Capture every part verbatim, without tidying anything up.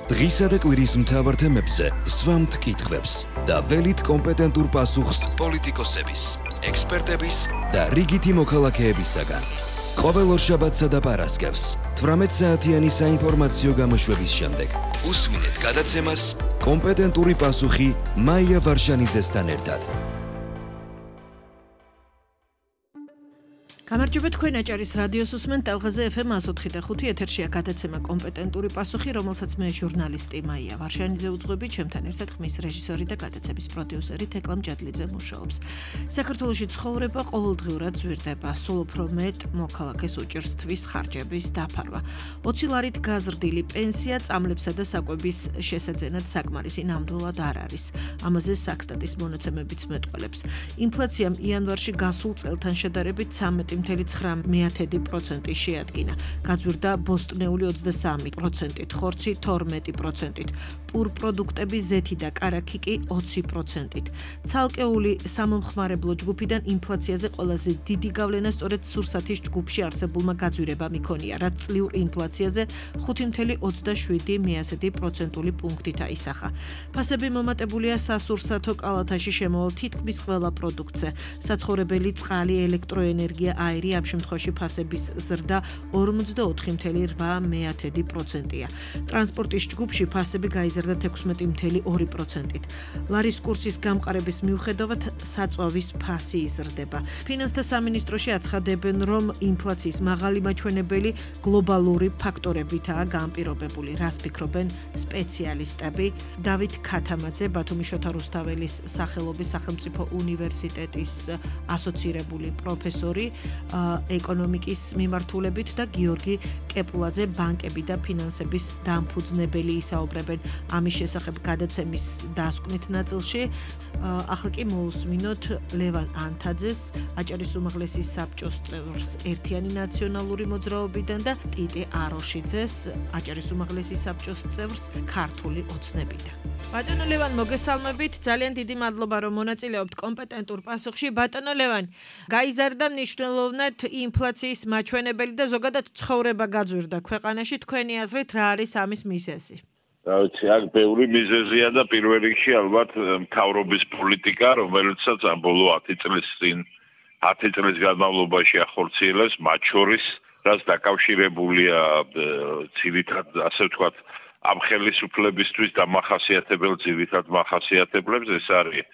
დღისა და კვირის მთავარ თემებზე სვამთ კითხვებს და ველით კომპეტენტურ პასუხს პოლიტიკოსების, ექსპერტების და რიგითი მოქალაქეებისაგან. ყოველ ორშაბათსა და პარასკევს თვრამეტ საათიანი საინფორმაციო გამოშვების შემდეგ უსმინეთ გადაცემას კომპეტენტური პასუხი მაია ვარშანიძესთან ერთად. გამარჯობა, თქვენ აჭარის რადიოს უსმენთ ტელღაზე ეფ ემ εκατო ოთხი და ხუთი ეთერშია გადაცემა კომპეტენტური პასუხი, რომელსაც მე ჟურნალისტი მაია ვარშანიძე უძღვები, ჩემთან ერთად ხმის რეჟისორი და გადაცემის პროდიუსერი თეკლამ ჯადლიძე მუშაობს. საქართველოში ცხოვრება ყოველდღიურად ზვირდება, სულ უფრო მეტ მოქალაქეს უჭირს თვის ხარჯების დაფარვა. ოცი ლარით გაზრდილი პენსია წამლებსა და საკვების შესაძენად საკმარისი ნამდვილად არ არის. ამაზე საქსტატის მონაცემებიც მეტყველებს. ინფლაციამ იანვარში გასულ წელთან შედარებით ცამეტი მთელი ცხრა პროცენტი შეადგინა. გაძვირდა ბოსტნეული ოცდასამი პროცენტით, ხორცი თორმეტი პროცენტით, პურპროდუქტები ზეთი და კარაქი კი ოცი პროცენტით. ცალკეული სამომხმარებლო ჯგუფიდან ინფლაციაზე ყველაზე დიდი გავლენა სწორედ სურსათის ჯგუფში არსებულმა გაძვირებამ იქონია, რაც წლიურ ინფლაციაზე ხუთი მთელი ოცდაშვიდი პროცენტული პუნქტით აისახა. ფასები მომატებულია სასურსათო კალათაში შემოვალ თითქმის ყველა პროდუქტზე. საცხოვრებელი წყალი, ელექტროენერგია, აირი, ამ შემთხვევაში ფასების ზრდა ორმოცდაოთხი მთელი რვა პროცენტია. ტრანსპორტის ჯგუფში ფასები გაიზარდა ექვსმეტი მთელი ორი პროცენტით. ლარის კურსის გამყარების მიუხედავად საწვავის ფასი იზრდება. ფინანსთა სამინისტროში აცხადებენ, რომ ინფლაციის მაღალი მაჩვენებელი გლობალური ფაქტორებითაა განპირობებული. რას ფიქრობენ სპეციალისტები? დავით ქათამაძე, ბათუმის შოთა რუსთაველის სახელობის სახელმწიფო უნივერსიტეტის ასოცირებული პროფესორი ეკონომიკის მიმართულებით და გიორგი კეპულაძე, ბანკები და ფინანსების დამფუძნებელი, ისაუბრებენ ამის შესახებ გადაცემის დასკვნით ნაწილში. ახლა კი მოусმინოთ ლევან ანთაძეს, აჭარის უმაღლესი საბჭოს წევრს ერთიანი ნაციონალური მოძრაობიდან და ტიტე აროშიძეს, აჭარის უმაღლესი საბჭოს წევრს ქართული ოცნებიდან. ბატონო ლევან, მოგესალმებით, ძალიან დიდი მადლობა, რომ მონაწილეობთ კომპეტენტურ პასუხში. ბატონო ლევან, გაიზარდა მნიშვნელოვნად ინფლაციის მაჩვენებელი და ზოგადად ცხოვრება გაძვირდა ქვეყანაში. თქვენი აზრით, რა არის ამის მიზეზი? რა ვიცი, აქ ბევრი მიზეზია და პირველ რიგში ალბათ მთავრობის პოლიტიკა, რომელიცაც ამ ბოლო ათი წლის წინ ათი წლის განმავლობაში ახორციელებს, მათ შორის, რაც დაკავშირებულია ძირითად, ასე ვთქვათ, ამ ხელისუფლებისთვის დამახასიათებელ ძირითად მახასიათებლებს, ეს არის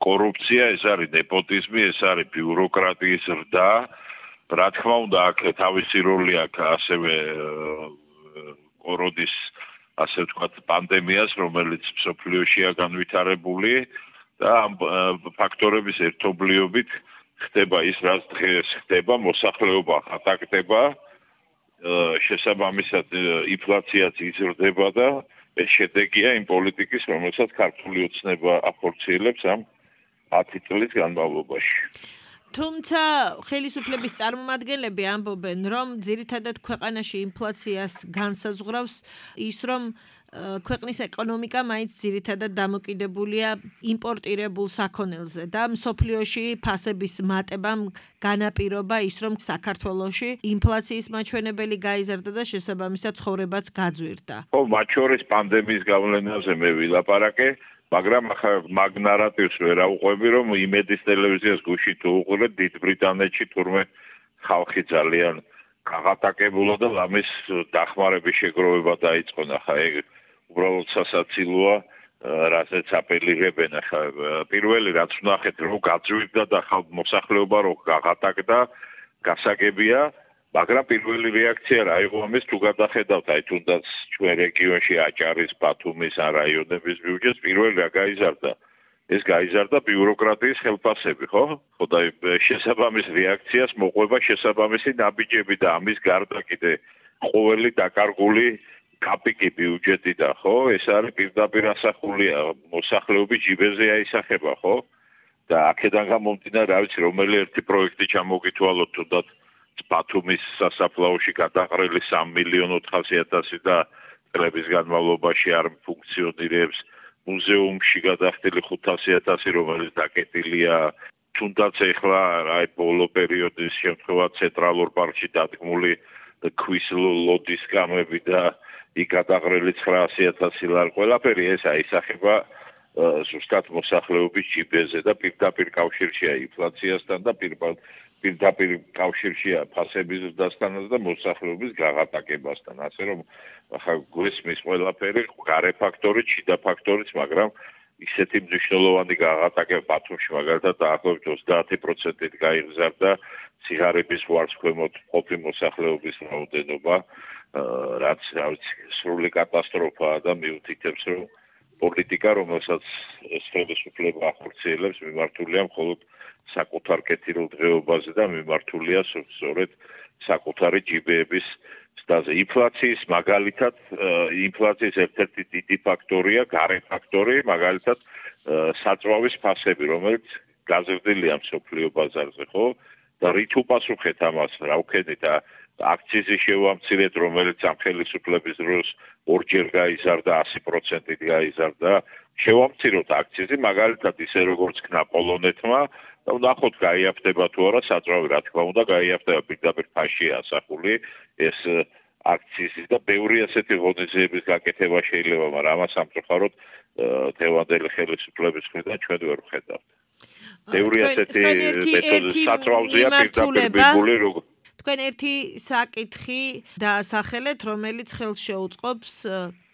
კორუფცია, ეს არის ნეპოტიზმი, ეს არის ბიუროკრატიის ზრდა. რა თქმა უნდა, აქ თავისი როლი აქვს ასევე კორონის, ასე ვთქვათ, პანდემიას, რომელიც მსოფლიოშია განვითარებული და ამ ფაქტორების ერთობლიობით ხდება ის, რაც დღეს ხდება, მოსახლეობა ხატაკდება, შესაბამისად ინფლაციაც იზრდება და ეს შედეგია იმ პოლიტიკის, რომელსაც ქართული ოცნება ახორციელებს ამ ათი წლის განმავლობაში. თუმცა ხელისუფლების წარმომადგენლები ამბობენ, რომ ძირითადად ქვეყანაში ინფლაციას განსაზღვრავს ის, რომ ქვეყნის ეკონომიკა მაინც ძირითადად დამოკიდებულია იმპორტირებულ საქონელზე და მსოფლიოში ფასების მატებამ განაპირობა ის, რომ საქართველოში ინფლაციის მაჩვენებელი გაიზარდა და შესაბამისად ცხოვრებაც გაძვირდა. ხო, მათ შორის პანდემიის გავლენაზე მე ვილაპარაკე. მაგრამ ახლა მაგ ნარატივს ვერ აუყვები, რომ იმედის ტელევიზიას გუში თუ უყურეთ, დიდ ბრიტანეთში თურმე ხალხი ძალიან გაღატაკებულა და ამის დახმარების შეგროვება დაიწყო. ახლა ეგ უბრალოდ სასაცილოა, რასაც აპელირებენ. ახლა პირველი რაც ვნახეთ, რომ გაძვირდა და მოსახლეობა რო გაღატაკდა, გასაგებია, მაგრამ პირველი რეაქცია რა იყო ამის, თუ გადახედავთ, აი თუნდაც ჩვენ რეგიონში აჭარის, ბათუმის ან რაიონების ბიუჯეტს, პირველი რა გაიზარდა? ეს გაიზარდა ბიუროკრატიის ხელფასები, ხო? ხო და შესაბამის რეაქციას მოყვება შესაბამისი ნაბიჯები და ამის გარდა კიდე ყოველი დაკარგული კაპიკი ბიუჯეტიდან, ხო? ეს არის პირდაპირ ასახულია, მოსახლეობის ჯიბეზე აისახება, ხო? და აქედან გამომდინარე, რა ვიცი, რომელი ერთი პროექტი ჩამოგითვალოთ, თუნდაც ბათუმის სასაფლაოში გადაყრილი სამი მილიონი ოთხასი ათასი და წლების განმავლობაში არ ფუნქციონირებს, მუზეუმში გადახდილი ხუთასი ათასი, რომელიც დაკეტილია, თუნდაც ეხლა აი ბოლო პერიოდის შემთხვევა ცენტრალურ პარკში დადგმული ქვის ლოდის კამები და იქ გადაღრილი ცხრაასი ათასი ლარი ყველაფერი ეს აისახება ზუსტად მოსახლეობის ჯიბეზე და პირდაპირ კავშირშია ინფლაციასთან და პირდაპირ კავშირშია ფასების ზრდასთანაც და მოსახლეობის გაღატაკებასთან. ასე რომ ახლა გვესმის ყველაფერი გარე ფაქტორი, შიდა ფაქტორიც, მაგრამ ისეთი მნიშვნელოვანი გაღატაკება ბათუმში მაგალითად დაახლოებით ოცდაათი პროცენტით გაიზარდა ციგარების ვარს ქვემოთ მყოფი მოსახლეობის რაოდენობა, რაც რა ვიცი სრული კატასტროფაა და მიუთითებს რომ პოლიტიკა, რომელსაც ეს ხელისუფლება ახორციელებს, მიმართულია მხოლოდ საკუთარ კეთილ დღეობაზე და მიმართულია სწორედ საკუთარი ჯიბეების ზრდაზე. ინფლაციის მაგალითად, ინფლაციის ერთ-ერთი დიდი ფაქტორია, გარე ფაქტორი, მაგალითად საწვავის ფასები, რომელიც გაზრდილია მსოფლიო ბაზარზე, ხო? და რით უპასუხეთ ამას, რა ვქენით და აქციზის შევამცირეთ, რომელიც ამ ხელისუფლების დროს ორჯერ გაიზარდა, ასი პროცენტით გაიზარდა. შევამციროთ აქციზი, მაგალითად ისე როგორც ქნა პოლონეთმა და ვნახოთ გაიაფთება თუ არა საწვავი, რა თქმა უნდა, გაიაფთება პირდაპირ ფასშია ასახული ეს აქციზი და ბევრი ასეთი ღონისძიების გაკეთება შეიძლება, მაგრამ ამას სამწუხაროდ თევანდელი ხელისუფლების მხრიდან ჩვენ ვერ ვხედავთ. ბევრი ასეთი მეთოდი საწვავზეა პირდაპირ მიბული როგორ თქვენ ერთი საკითხი დაასახელეთ, რომელიც ხელს შეუწყობს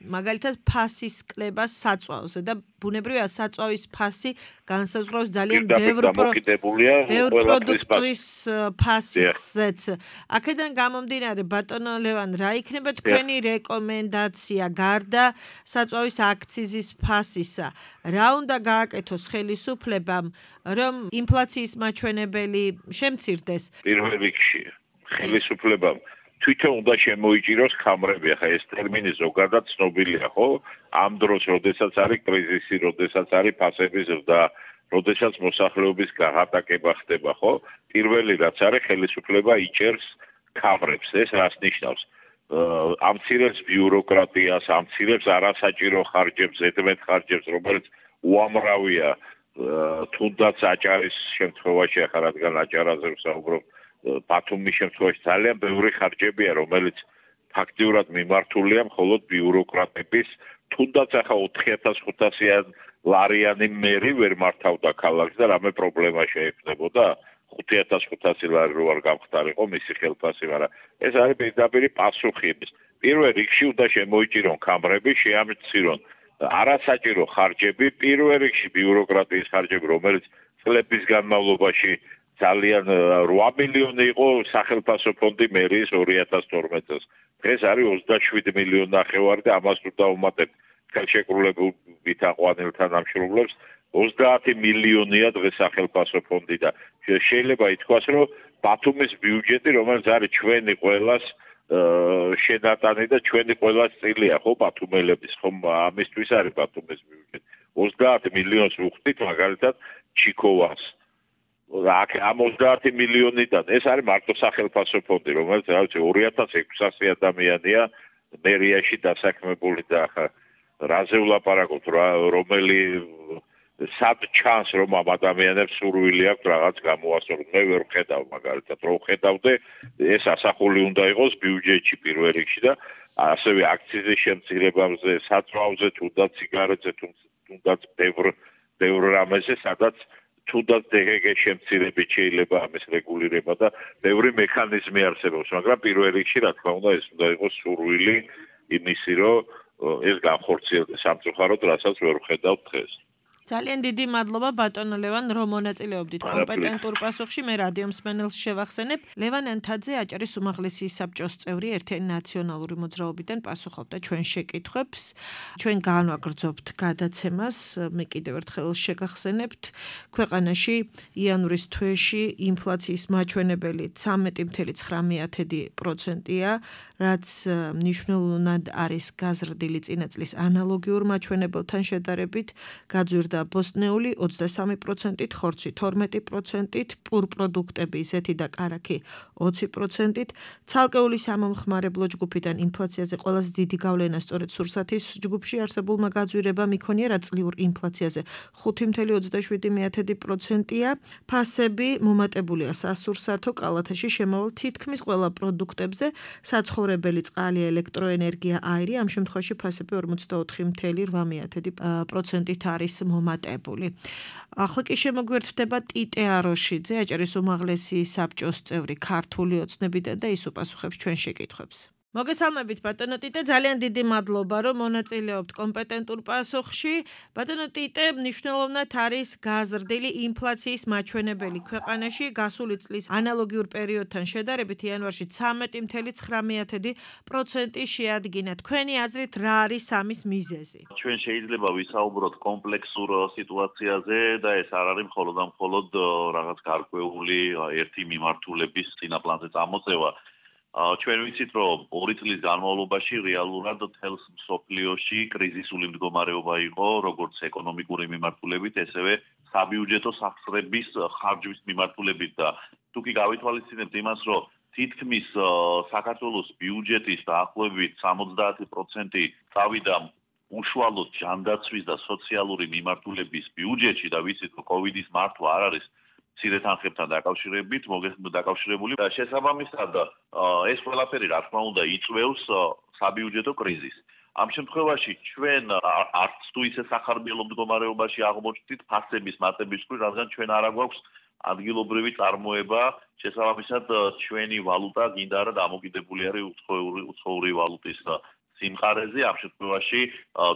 მაგალითად ფასის კლებას საწვავზე და ბუნებრივია საწვავის ფასი განსაზღვრავს ძალიან ბევრ პროდუქტის ფასზეც. აქედან გამომდინარე, ბატონო ლევან, რა იქნება თქვენი რეკომენდაცია გარდა საწვავის აქციზის ფასისა? რა უნდა გააკეთოს ხელისუფლებამ, რომ ინფლაციის მაჩვენებელი შემცირდეს? პირველ რიგში ხელისუფლებამ თვითონ უნდა შემოიჭიროს ქამრები, ახლა ეს ტერმინი ზოგადად ცნობილია, ხო? ამ დროს, როდესაც არის კრიზისი, როდესაც არის ფასების ზრდა, როდესაც მოსახლეობის გაღატაკება ხდება, ხო? პირველი რაც არის, ხელისუფლება იჭერს ქამრებს. ეს რას ნიშნავს? ამცირებს ბიუროკრატიას, ამცირებს არასაჭირო ხარჯებს, ზედმეტ ხარჯებს, რომელიც უამრავია, თუნდაც აჭარის შემთხვევაში, ახლა რადგან აჭარაზე ვსაუბრობ, ბათუმის შემთხვევაში ძალიან ბევრი ხარჯებია, რომელიც ფაქტიურად მიმართულია მხოლოდ ბიუროკრატების, თუნდაც ახლა ოთხი ათას ხუთასი ლარიანი მერი ვერ მართავდა ქალაქს და რამე პრობლემა შეექმნებოდა, ხუთი ათას ხუთასი ლარი რო არ გამხდარიყო მისი ხელფასი, მაგრამ ეს არის პირდაპირი პასუხი იმის. პირველ რიგში უნდა შემოიჭირონ ქამრები, შეამცირონ არასაჭირო ხარჯები, პირველ რიგში ბიუროკრატიის ხარჯები, რომელიც წლების განმავლობაში ძალიან რვა მილიონი იყო სახელმწიფო ფონდი მერიის ორი ათას თორმეტ წელს. დღეს არის ოცდაშვიდი მილიონი ნახევარი და ამას თუ დავუმატებთ ხელშეკრულებით აყვანილთა დამშრომლებს, ოცდაათი მილიონია დღეს სახელმწიფო ფონდი და შეიძლება ითქვას, რომ ბათუმის ბიუჯეტი, რომელიც არის ჩვენი ყველას შენატანი და ჩვენი ყველას წილია, ხო, ბათუმელების, ხო, ამისთვის არის ბათუმის ბიუჯეტი. ოცდაათი მილიონს ვუხდით მაგალითად ჩიქოვას. ამ ოცდაათი მილიონიდან ეს არის მარტო სახელმწიფო ფონდი, რომელიც რა ვიცი ორი ათას ექვსასი ადამიანია მერიაში დასაქმებული და ახლა რაზე ვლაპარაკობთ, რომელი სად ჩანს რომ ამ ადამიანებს სურვილი აქვს რაღაც გამოასწოროს. მე ვერ ვხედავ მაგალითად, რომ ვხედავდე, ეს ასახული უნდა იყოს ბიუჯეტში პირველ რიგში და ასევე აქციზის შემცირებაზე, საწვავზე, თუნდაც სიგარეტზე, თუნდაც ბევრ ბევრ რამეზე, სადაც თუნდაც დეგეგ შემცირებით შეიძლება ამის რეგულირება და ბევრი მექანიზმი არსებობს, მაგრამ პირველ რიგში რა თქმა უნდა ეს უნდა იყოს სურვილი იმისი, რომ ეს განხორციელდეს სამწუხაროდ, რასაც ვერ ვხედავთ დღეს. ძალიან დიდი მადლობა ბატონო ლევან, რომ მონაწილეობდით კომპეტენტურ პასუხში. მე რადიო მსმენელს შევახსენებ, ლევან ანთაძე აჭარის უმაღლესი საბჭოს წევრი ერთიანი ნაციონალური მოძრაობიდან პასუხობდა ჩვენ შეკითხვებს. ჩვენ განვაგრძობთ გადაცემას, მე კიდევ ერთხელ შეგახსენებთ, ქვეყანაში იანვრის თვეში ინფლაციის მაჩვენებელი ცამეტი მცდარი ცხრა პროცენტია, რაც მნიშვნელოვნად არის გაზრდილი წინა წლის ანალოგიურ მაჩვენებელთან შედარებით, გაძვირდა მოვიდა ბოსტნეული ოცდასამი პროცენტით, ხორცი თორმეტი პროცენტით, პურ პროდუქტები ისეთი და კარაქი ოცი პროცენტით. ცალკეული სამომხმარებლო ჯგუფიდან ინფლაციაზე ყველაზე დიდი გავლენა სწორედ სურსათის ჯგუფში არსებულმა გაძვირებამ იქონია, რაც წლიურ ინფლაციაზე ხუთი ოცდაშვიდი პროცენტია. ფასები მომატებულია სასურსათო კალათაში შემავალ თითქმის ყველა პროდუქტებზე, საცხოვრებელი წყალი, ელექტროენერგია, აირი, ამ შემთხვევაში ფასები ორმოცდაოთხი ოცდაოთხი პროცენტით არის მომატებული. ახლა კი შემოგვერთდება ტიტე აროშიძე, აჭარის უმაღლესი საბჭოს წევრი ქართული ოცნებიდან და ის უპასუხებს ჩვენ შეკითხვებს. მოგესალმებით ბატონო ტიტე, ძალიან დიდი მადლობა რომ მონაწილეობთ კომპეტენტურ პასუხში. ბატონო ტიტე, მნიშვნელოვნად არის გაზრდილი ინფლაციის მაჩვენებელი ქვეყანაში, გასული წლის ანალოგიურ პერიოდთან შედარებით იანვარში ცამეტი ოცდათხი პროცენტი შეადგინა. თქვენი აზრით რა არის ამის მიზეზი? ჩვენ შეიძლება ვისაუბროთ კომპლექსურ სიტუაციაზე და ეს არ არის მხოლოდ და მხოლოდ რაღაც გარკვეული ერთი მიმართულების წინაპლანზე წამოწევა. ჩვენ ვიცით, რომ ორი წლის განმავლობაში რეალურად თელს მსოფლიოში კრიზისული მდგომარეობა იყო, როგორც ეკონომიკური მიმართულებით, ესევე საბიუჯეტო სახსრების ხარჯვის მიმართულებით და თუ კი გავითვალისწინებთ იმას, რომ თითქმის საქართველოს ბიუჯეტის დაახლოებით სამოცდაათი პროცენტი წავიდა უშუალოდ ჯანდაცვის და სოციალური მიმართულების ბიუჯეტში და ვიცით, რომ კოვიდის მართვა არ არის მცირე თანხებთან დაკავშირებით, დაკავშირებული და შესაბამისად ეს ყველაფერი რა თქმა უნდა იწვევს საბიუჯეტო კრიზისს. ამ შემთხვევაში ჩვენ არც თუ ისე სახარბიელო მდგომარეობაში აღმოჩნდით ფასების მატებისთვის, რადგან ჩვენ არ აგვაქვს ადგილობრივი წარმოება, შესაბამისად ჩვენი ვალუტა გინდა არა დამოკიდებული არის უცხოური ვალუტის სიმყარეზე, ამ შემთხვევაში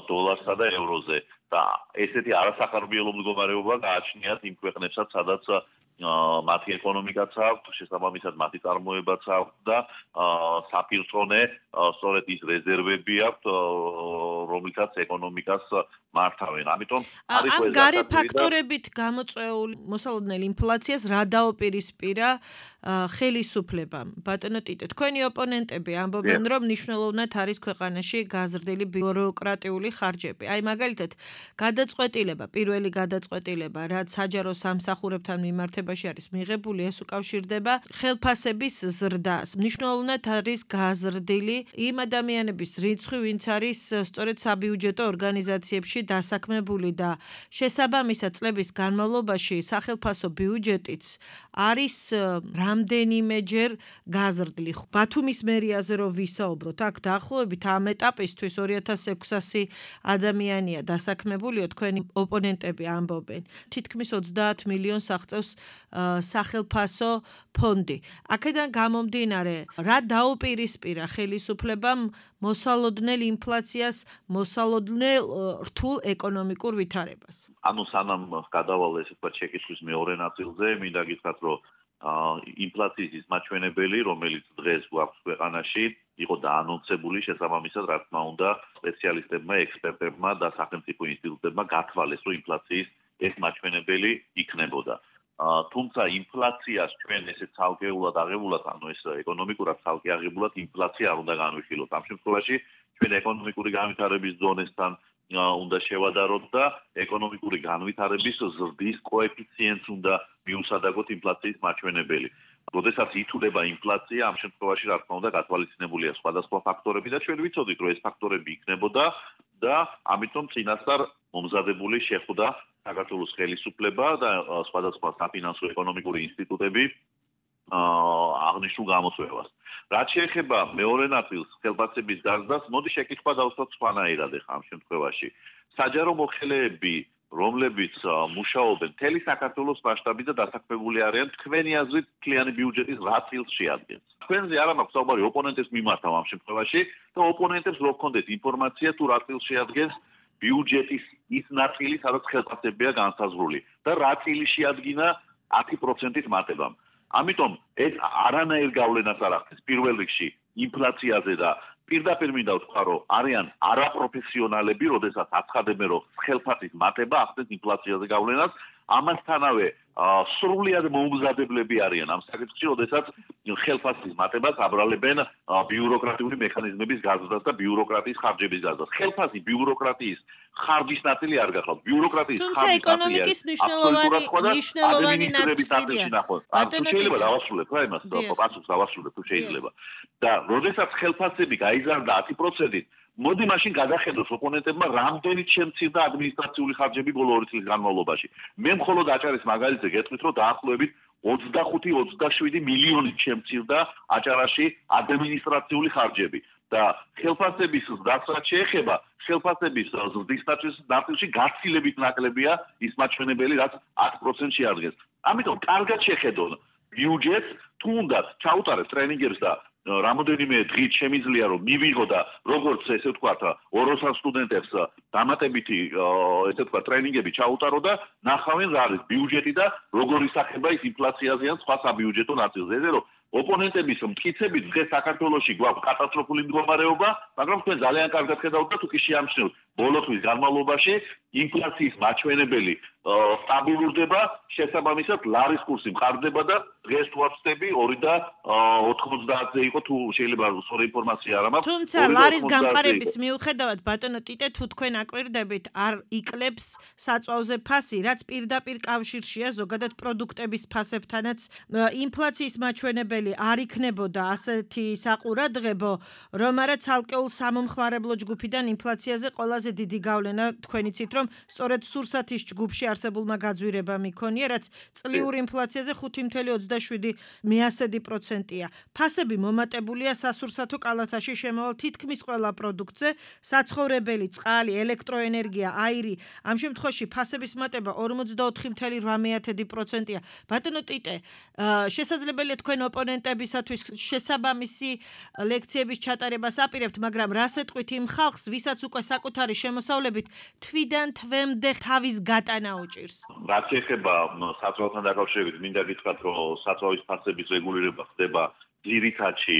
დოლარსა და ევროზე. და ესეთი არასახარბიელო მდგომარეობა გააჩნიათ იმ ქვეყნებსაც, სადაც მათი ეკონომიკაც აქვს, შესაბამისად მათი წარმოებაც აქვს და საპირწონე სწორედ ის რეზერვები აქვს, რომლითაც ეკონომიკას მართავენ. ამიტომ არის ამ გარე ფაქტორებით გამოწვეული მოსალოდნელ ინფლაციას რა დაუპირისპირა ხელისუფლებამ? ბატონო ტიტე, თქვენი ოპონენტები ამბობენ, რომ მნიშვნელოვნად არის ქვეყანაში გაზრდილი ბიუროკრატიული ხარჯები. აი მაგალითად, გადაწყვეტილება, პირველი გადაწყვეტილება, რაც საჯარო სამსახურებთან მიმართებაში არის მიღებული, ეს უკავშირდება ხელფასების ზრდას. მნიშვნელოვნად არის გაზრდილი იმ ადამიანების რიცხვი, ვინც არის სწორედ საბიუჯეტო ორგანიზაციებში დასაქმებული და შესაბამისად წლების განმავლობაში სახელფასო ბიუჯეტიც არის რამდენიმეჯერ გაზრდილი. ბათუმის მერიაზე რო ვისაუბროთ, აქ დაახლოებით ამ ეტაპისთვის ორი ათას ექვსასი ადამიანია დასაქმებული, თქვენი ოპონენტები ამბობენ. თითქმის ოცდაათ მილიონს აღწევს სახელფასო ფონდი. აქედან გამომდინარე, რა დაუპირისპირა ხელისუფლებამ მოსალოდნელ ინფლაციას, მოსალოდნელ რთულ ეკონომიკურ ვითარებას? ანუ სანამ გადავალ ესე ვთქვათ შეკითხვის მეორე ნაწილზე, მინდა გითხრათ, რომ ინფლაციის მაჩვენებელი, რომელიც დღეს გვაქვს ქვეყანაში, იყო დაანონსებული, შესაბამისად, რა თქმა უნდა, სპეციალისტებმა, ექსპერტებმა და სახელმწიფო ინსტიტუტებმა გათვალეს, რომ ინფლაციის ეს მაჩვენებელი იქნებოდა. თუმცა ინფლაციას ჩვენ ესე ცალკეულად აღებულად, ანუ ეს ეკონომიკურად ცალკე აღებულად ინფლაცია არ უნდა განვიხილოთ. ამ შემთხვევაში ჩვენ ეკონომიკური განვითარების ზონესთან უნდა შევადაროთ და ეკონომიკური განვითარების ზრდის კოეფიციენტს უნდა მიუსადაგოთ ინფლაციის მაჩვენებელი. როდესაც ითვლება ინფლაცია, ამ შემთხვევაში რა თქმა უნდა გათვალისწინებულია სხვადასხვა ფაქტორები და ჩვენ ვიცოდით, რომ ეს ფაქტორები იქნებოდა და ამიტომ წინასწარ მომზადებული შეხვდა საქართველოს ხელისუფლება და სხვადასხვა საფინანსო ეკონომიკური ინსტიტუტები აღნიშნულ გამოწვევას. რაც შეეხება მეორე ნაწილს, ხელფასების დაზრდას, მოდი შეკითხვა დავსვათ სხვანაირად ახლა ამ შემთხვევაში. საჯარო მოხელეები, რომლებიც მუშაობენ მთელი საქართველოს მასშტაბით და დასაქმებული არიან, თქვენი აზრით მთლიანი ბიუჯეტის რა წილს შეადგენს? თქვენზე არ მაქვს საუბარი, ოპონენტებს მიმართავ ამ შემთხვევაში და ოპონენტებს რო გქონდეთ ინფორმაცია თუ რა წილს შეადგენს ბიუჯეტის ის ნაწილი, სადაც ხელფასებია განსაზღვრული და რა წილი შეადგინა ათი პროცენტით მატებამ. ამიტომ ეს არანაირ გავლენას არ ახდენს პირველ რიგში ინფლაციაზე და პირდაპირ მინდა ვთქვა, რომ არიან არაპროფესიონალები, როდესაც აცხადებენ, რომ ხელფასის მატება ახდენს ინფლაციაზე გავლენას, ამასთანავე სრულიად მოუმზადებლები არიან ამ საკითხში, როდესაც ხელფასის მატებას აბრალებენ ბიუროკრატიული მექანიზმების გაზრდას და ბიუროკრატიის ხარჯების გაზრდას. ხელფასი ბიუროკრატიის ხარჯის ნაწილი არ გახლავთ. ბიუროკრატიის ხარჯის თუმცა ეკონომიკის მნიშვნელოვანი მნიშვნელოვანი ნაწილია. შეიძლება დავასრულებ რა იმას, პასუხს დავასრულებ თუ შეიძლება. და როდესაც ხელფასები გაიზარდა ათი პროცენტით, მოდი მაშინ გადახედოს ოპონენტებმა რამდენიც შემცირდა ადმინისტრაციული ხარჯები ბოლო ორი წლის განმავლობაში. მე მხოლოდ აჭარის მაგალითზე გეტყვით, რომ დაახლოებით ოცდახუთი ოცდაშვიდი მილიონი შემცირდა აჭარაში ადმინისტრაციული ხარჯები და ხელფასების ზრდას რაც შეეხება, ხელფასების ზრდის ნაწილში გაცილებით ნაკლებია ის მაჩვენებელი, რაც ათი პროცენტს შეადგენს. ამიტომ კარგად შეხედონ ბიუჯეტს, თუნდაც ჩაუტარეთ ტრენინგებს და რამოდენიმე დღით შემიძლია რომ მივიღო და როგორც ესე ვთქვათ ოროსან სტუდენტებს დამატებითი ესე ვთქვათ ტრენინგები ჩაუტარო და ნახავენ რა არის ბიუჯეტი და როგორ ისახება ის ინფლაციაზე ან სხვა საბიუჯეტო ნაწილზე. ესე რომ ოპონენტების მტკიცებით დღეს საქართველოში გვაქვს კატასტროფული მდგომარეობა, მაგრამ თქვენ ძალიან კარგად ხედავთ და თუ კი შეამჩნევთ ბოლო თვის განმავლობაში ინფლაციის მაჩვენებელი სტაბილურდება, შესაბამისად ლარის კურსი მყარდება და დღეს თუ ვახსნები ორი და ოთხმოცდაათზე იყო თუ შეიძლება სწორი ინფორმაცია არ მაქვს. თუმცა ლარის გამყარების მიუხედავად ბატონო ტიტე თუ თქვენ აკვირდებით არ იკლებს საწვავზე ფასი, რაც პირდაპირ კავშირშია ზოგადად პროდუქტების ფასებთანაც ინფლაციის მაჩვენებელი არ იქნებოდა ასეთი საყურადღებო, რომ არა ცალკეულ სამომხმარებლო ჯგუფიდან ინფლაციაზე ყველაზე დიდი გავლენა თქვენ იცით რომ სწორედ სურსათის ჯგუფში არსებულმა გაძვირებამ იქონია, რაც წლიურ ინფლაციაზე ხუთი ოცდაშვიდი პროცენტია. ფასები მომატებულია სასურსათო კალათაში შემავალ თითქმის ყველა პროდუქტზე, საცხოვრებელი, წყალი, ელექტროენერგია, აირი. ამ შემთხვევაში ფასების მატება ორმოცდაოთხი ოცდაოთხი პროცენტია. ბატონო ტიტე, შესაძლებელია თქვენ ოპონენტებისათვის შესაბამისი ლექციების ჩატარებას აპირებთ, მაგრამ რას ეტყვით იმ ხალხს, ვისაც უკვე საკუთარი შემოსავლებით თვიდან თვემდე თავის გატანა უჭირს? რაც ეხება საწვავთან დაკავშირებით, მინდა გითხრათ, რომ საწვავის ფასების რეგულირება ხდება ძირითადში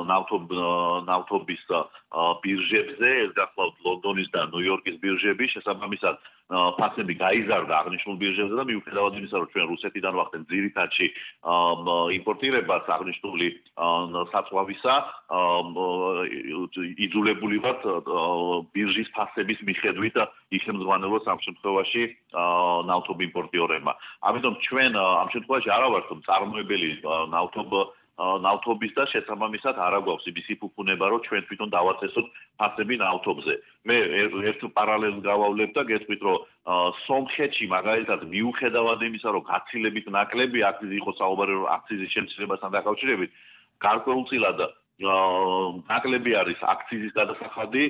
ნავთობის ბირჟებზე, ეს გახლავთ ლონდონის და ნიუ-იორკის ბირჟები, შესაბამისად ფასები გაიზარდა აღნიშნულ ბირჟებზე და მიუხედავად იმისა, რომ ჩვენ რუსეთიდან ვახდენთ ძირითადში იმპორტირებას აღნიშნული საწვავისა, იძულებული ვართ ბირჟის ფასების მიხედვით იხელმძღვანელოს ამ შემთხვევაში ნავთობ იმპორტიორებმა. ამიტომ ჩვენ ამ შემთხვევაში არა ვართ წარმოებელი ნავთობ ნავთობის და შესაბამისად არა გვაქვს იმისი ფუფუნება, რომ ჩვენ თვითონ დავაწესოთ ფასები ნავთობზე. მე ერთ პარალელს გავავლებ და გეტყვით, რომ სომხეთში მაგალითად მიუხედავად იმისა, რომ გაცილებით ნაკლები აქციზი იყო საუბარი აქციზის შემცირებასთან დაკავშირებით, გარკვეულწილად ნაკლები არის აქციზის გადასახადი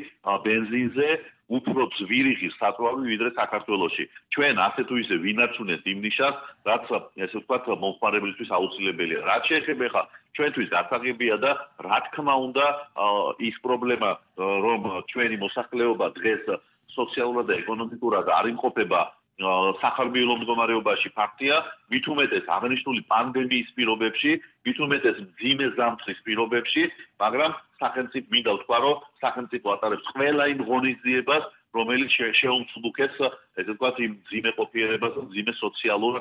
ბენზინზე, უფრო ძვირი ღირს საწვავი ვიდრე საქართველოში. ჩვენ ასე თუ ისე ვინარჩუნეთ იმ ნიშას, რაც ესე ვთქვათ მომხმარებლისთვის აუცილებელია. რაც შეეხება ხა ჩვენთვის გასაღებია და რა თქმა უნდა ის პრობლემა, რომ ჩვენი მოსახლეობა დღეს სოციალურად და ეკონომიკურად არ იმყოფება სახარბიელო მდგომარეობაში ფაქტია, მით უმეტეს აღნიშნული პანდემიის პირობებში, მით უმეტეს მძიმე ზამთრის პირობებში, მაგრამ სახელმწიფო მინდა ვთქვა, რომ სახელმწიფო ატარებს ყველა იმ ღონისძიებას, რომელიც შეუმცდუკებს, ესე ვთქვათ, იმ მძიმე ყოფიერებას, მძიმე სოციალურ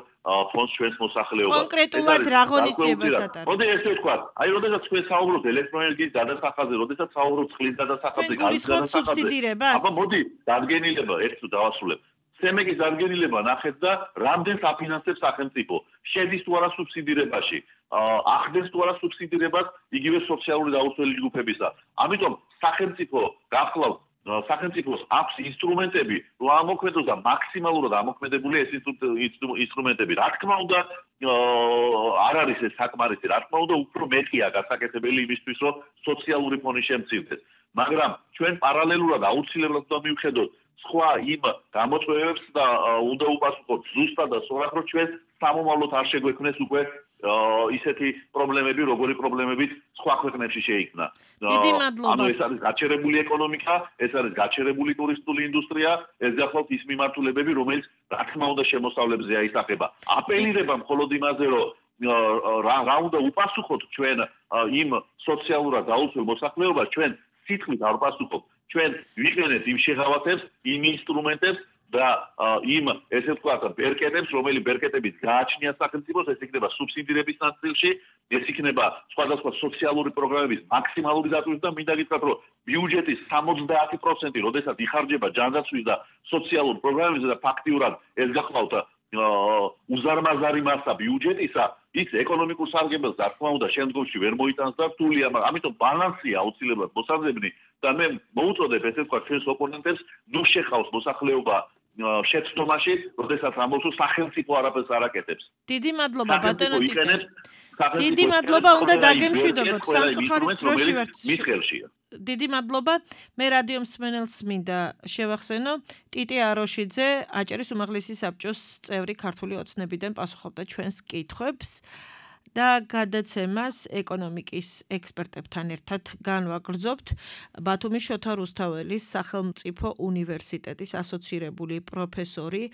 ფონდს ჩვენს მოსახლეობას. კონკრეტულად რა ღონისძიებას ატარებს? მოდი ესე ვთქვათ, აი როდესაც ჩვენ საუბრობთ ელექტროენერგიის გადასახადზე, როდესაც საუბრობთ წყლის გადასახადზე, გალის გადასახადზე, აბა მოდი დადგენილება ერთ თუ დავასრულებ. სემეგის დადგენილება ნახეთ და რამდენს აფინანსებს სახელმწიფო, შედის თუ არა სუბსიდირებაში, ახდენს თუ არა სუბსიდირებას იგივე სოციალური დაუცველი ჯგუფებისა. ამიტომ სახელმწიფო გახლავთ სახელმწიფოს აქვს ინსტრუმენტები, რომ ამოქმედოს და მაქსიმალურად ამოქმედებული ეს ინსტრუმენტები. რა თქმა უნდა, არ არის ეს საკმარისი, რა თქმა უნდა, უფრო მეტია გასაკეთებელი იმისთვის, რომ სოციალური ფონი შემცირდეს. მაგრამ ჩვენ პარალელურად აუცილებლად უნდა მივხედოთ სხვა იმ გამოწვევებს და უნდა უპასუხოთ ზუსტად და სწორად, რომ ჩვენ სამომავლოდ არ შეგვექმნეს უკვე ისეთი პრობლემები, როგორი პრობლემებით სხვა ქვეყნებში შეიქმნა. დიდი მადლობა. ანუ ეს არის გაჩერებული ეკონომიკა, ეს არის გაჩერებული ტურისტული ინდუსტრია, ეს გახლავთ ის მიმართულებები, რომელიც რა თქმა უნდა შემოსავლებზე აისახება. აპელირება მხოლოდ იმაზე, რომ რა რა უნდა უპასუხოთ ჩვენ იმ სოციალურად დაუცველ მოსახლეობას, ჩვენ სიტყვით არ ვპასუხობთ. ჩვენ ვიყენებთ იმ შეღავათებს, იმ ინსტრუმენტებს, და იმ ესე ვთქვათ ბერკეტებს, რომელი ბერკეტებიც გააჩნია სახელმწიფოს, ეს იქნება სუბსიდირების ნაწილში, ეს იქნება სხვადასხვა სოციალური პროგრამების მაქსიმალური დატვირთვა და მინდა გითხრათ, რომ ბიუჯეტის სამოცდაათი პროცენტი, როდესაც იხარჯება ჯანდაცვის და სოციალურ პროგრამებზე და ფაქტიურად ეს გახლავთ უზარმაზარი მასა ბიუჯეტისა, ის ეკონომიკურ სარგებელს რა თქმა უნდა შემდგომში ვერ მოიტანს და რთულია, მაგრამ ამიტომ ბალანსია აუცილებლად მოსაძებნი და მე მოუწოდებ ესე ვთქვათ ჩვენს ოპონენტებს, ნუ შეხავს მოსახლეობა შეცდომაში, როდესაც ამბობს რომ სახელმწიფო არაფერს არ აკეთებს. დიდი მადლობა ბატონო ტიტე. დიდი მადლობა, უნდა დაგემშვიდობოთ სამწუხაროდ დროში ვართ. მის ხელშია. დიდი მადლობა. მე რადიო მსმენელს მინდა შევახსენო, ტიტე აროშიძე, აჭარის უმაღლესი საბჭოს წევრი ქართული ოცნებიდან პასუხობდა ჩვენს კითხვებს და გადაცემას ეკონომიკის ექსპერტებთან ერთად განვაგრძობთ ბათუმის შოთა რუსთაველის სახელმწიფო უნივერსიტეტის ასოცირებული პროფესორი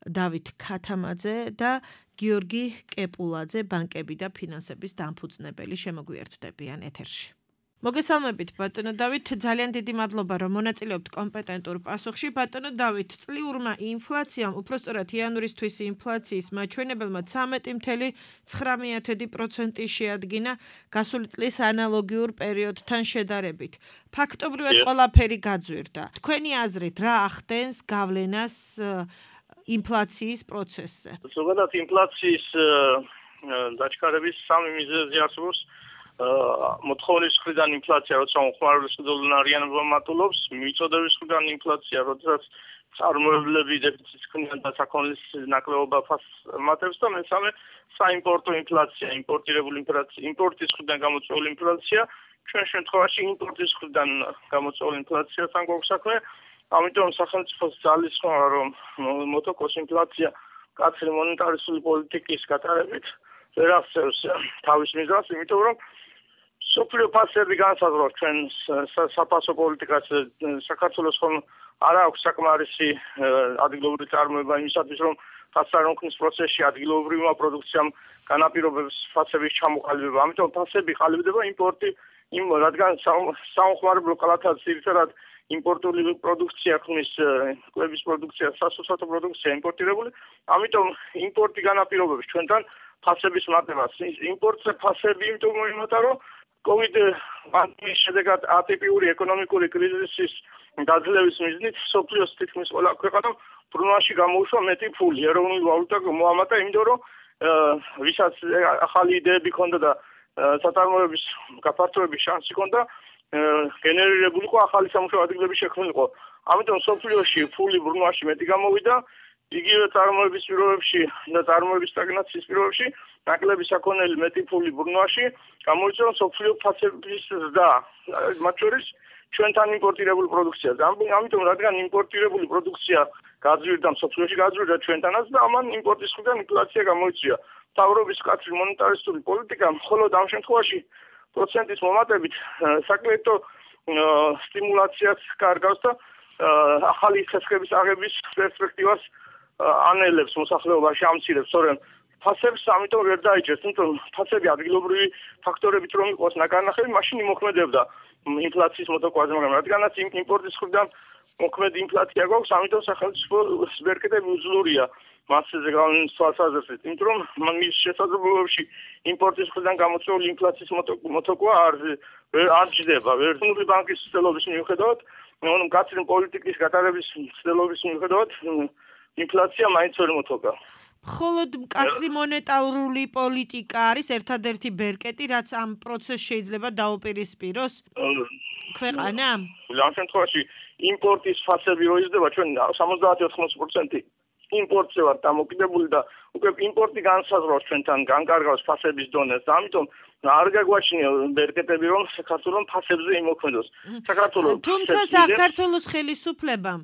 დავით ქათამაძე და გიორგი კეპულაძე, ბანკები და ფინანსების დამფუძნებელი შემოგვიერთდებიან ეთერში. მოგესალმებით ბატონო დავით, ძალიან დიდი მადლობა რომ მონაწილეობთ კომპეტენტურ პასუხში. ბატონო დავით, წლიურმა ინფლაციამ, უпростоრად იანვრისთვის ინფლაციის მაჩვენებელმა ცამეტი წუთი ცხრამეტი პროცენტი შეადგინა გასული წლის ანალოგიურ პერიოდთან შედარებით. ფაქტობრივად ყველაფერი გაძვირდა. თქვენი აზრით რა ახდენს გავლენას ინფლაციის პროცესზე? ზოგადად ინფლაციის დაჩქარების სამი მიზეზი არსებობს. მოთხოვნის მხრიდან ინფლაცია, როცა უხმარების დოლარიანობა მატულობს, მიწოდების მხრიდან ინფლაცია, როდესაც წარმოებლები დეფიციტს ქმნიან და საქონლის ნაკლებობა ფასმატებს და მესამე საიმპორტო ინფლაცია, იმპორტირებული ინფლაცია, იმპორტის მხრიდან გამოწვეული ინფლაცია, ჩვენ შემთხვევაში იმპორტის მხრიდან გამოწვეული ინფლაციასთან გვაქვს საქმე. ამიტომ სახელმწიფოს ძალისხმევა, რომ მოტოქოს ინფლაცია კაცრი მონეტარისტული პოლიტიკის გატარებით ვერ აღწევს თავის მიზანს, იმიტომ რომ სოფლიო ფასები განსაზღვრავს ჩვენ საფასო პოლიტიკას. საქართველოს ხომ არ აქვს საკმარისი ადგილობრივი წარმოება იმისათვის, რომ ფასარონქნის პროცესში ადგილობრივმა პროდუქციამ განაპირობებს ფასების ჩამოყალიბება. ამიტომ ფასები ყალიბდება იმპორტი, იმ რადგან საომხმარებლო კალათაც ძირითადად იმპორტული პროდუქცია ქმნის, კვების პროდუქცია, სასუსათო პროდუქცია იმპორტირებული. ამიტომ იმპორტი განაპირობებს ჩვენთან ფასების მატებას. იმპორტზე ფასები იმიტომ მოიმატა, რომ COVID პანდემიის შედეგად ატიპიური ეკონომიკური კრიზისის გაძლევის მიზნით სოფლიოს თითქმის ყველა ქვეყანამ ბრუნვაში გამოუშვა მეტი ფული. ეროვნული ვალუტა მოამატა, იმიტომ რომ ვისაც ახალი იდეები ჰქონდა და საწარმოების გაფართოების შანსი ჰქონდა, გენერირებული იყო ახალი სამუშაო ადგილების შექმნილიყო. ამიტომ სოფლიოში ფული ბრუნვაში მეტი გამოვიდა. იგივე წარმოების პირობებში და წარმოების სტაგნაციის პირობებში ნაკლები საქონელი მეტი ფული ბრუნვაში გამოიწვია სოფლიო ფასების ზრდა, მათ შორის ჩვენთან იმპორტირებული პროდუქციას. ამიტომ რადგან იმპორტირებული პროდუქცია გაძვირდა, სოფლიოში გაძვირდა ჩვენთანაც და ამან იმპორტის მხრიდან ინფლაცია გამოიწვია. მთავრობის კაცრი მონეტარისტული პოლიტიკა მხოლოდ ამ შემთხვევაში პროცენტის მომატებით საკრედიტო სტიმულაციას კარგავს და ახალი ხესხების აღების პერსპექტივას ანელებს მოსახლეობაში, ამცირებს, სწორედ ფასებს ამიტომ ვერ დაიჭერს, თუმცა ფასები ადგილობრივი ფაქტორებით რომ იყოს ნაკარნახები, მაშინ იმოქმედებდა ინფლაციის მოტოკვაზე, მაგრამ რადგანაც იმპორტის მხრიდან მოქმედი ინფლაცია გვაქვს, ამიტომ სახელმწიფოს ბერკეტები უძლურია მასზე გავლენის თვალსაზრისით, იმიტომ რომ მის შესაძლებლობებში იმპორტის მხრიდან გამოწვეული ინფლაციის მოტოკვა არ არ ჯდება. ვერტმუნული ბანკის ცდილობის მიუხედავად, მკაცრი პოლიტიკის გატარების ცდილობის მიუხედავად, ინფლაცია მაინც ვერ მოტოკა. მხოლოდ მკაცრი მონეტარული პოლიტიკა არის ერთადერთი ბერკეტი, რაც ამ პროცესს შეიძლება დაუპირისპიროს ქვეყანა? ამ შემთხვევაში იმპორტის ფასები რო იზრდება, ჩვენ სამოცდაათი ოთხმოცი პროცენტი იმპორტზე ვართ დამოკიდებული და უკვე იმპორტი განსაზღვრავს ჩვენთან, განკარგავს ფასების დონეს და ამიტომ არ გაგვაჩნია ბერკეტები, რომ საქართველოს ფასებზე იმოქმედოს. საქართველოს თუმცა საქართველოს ხელისუფლებამ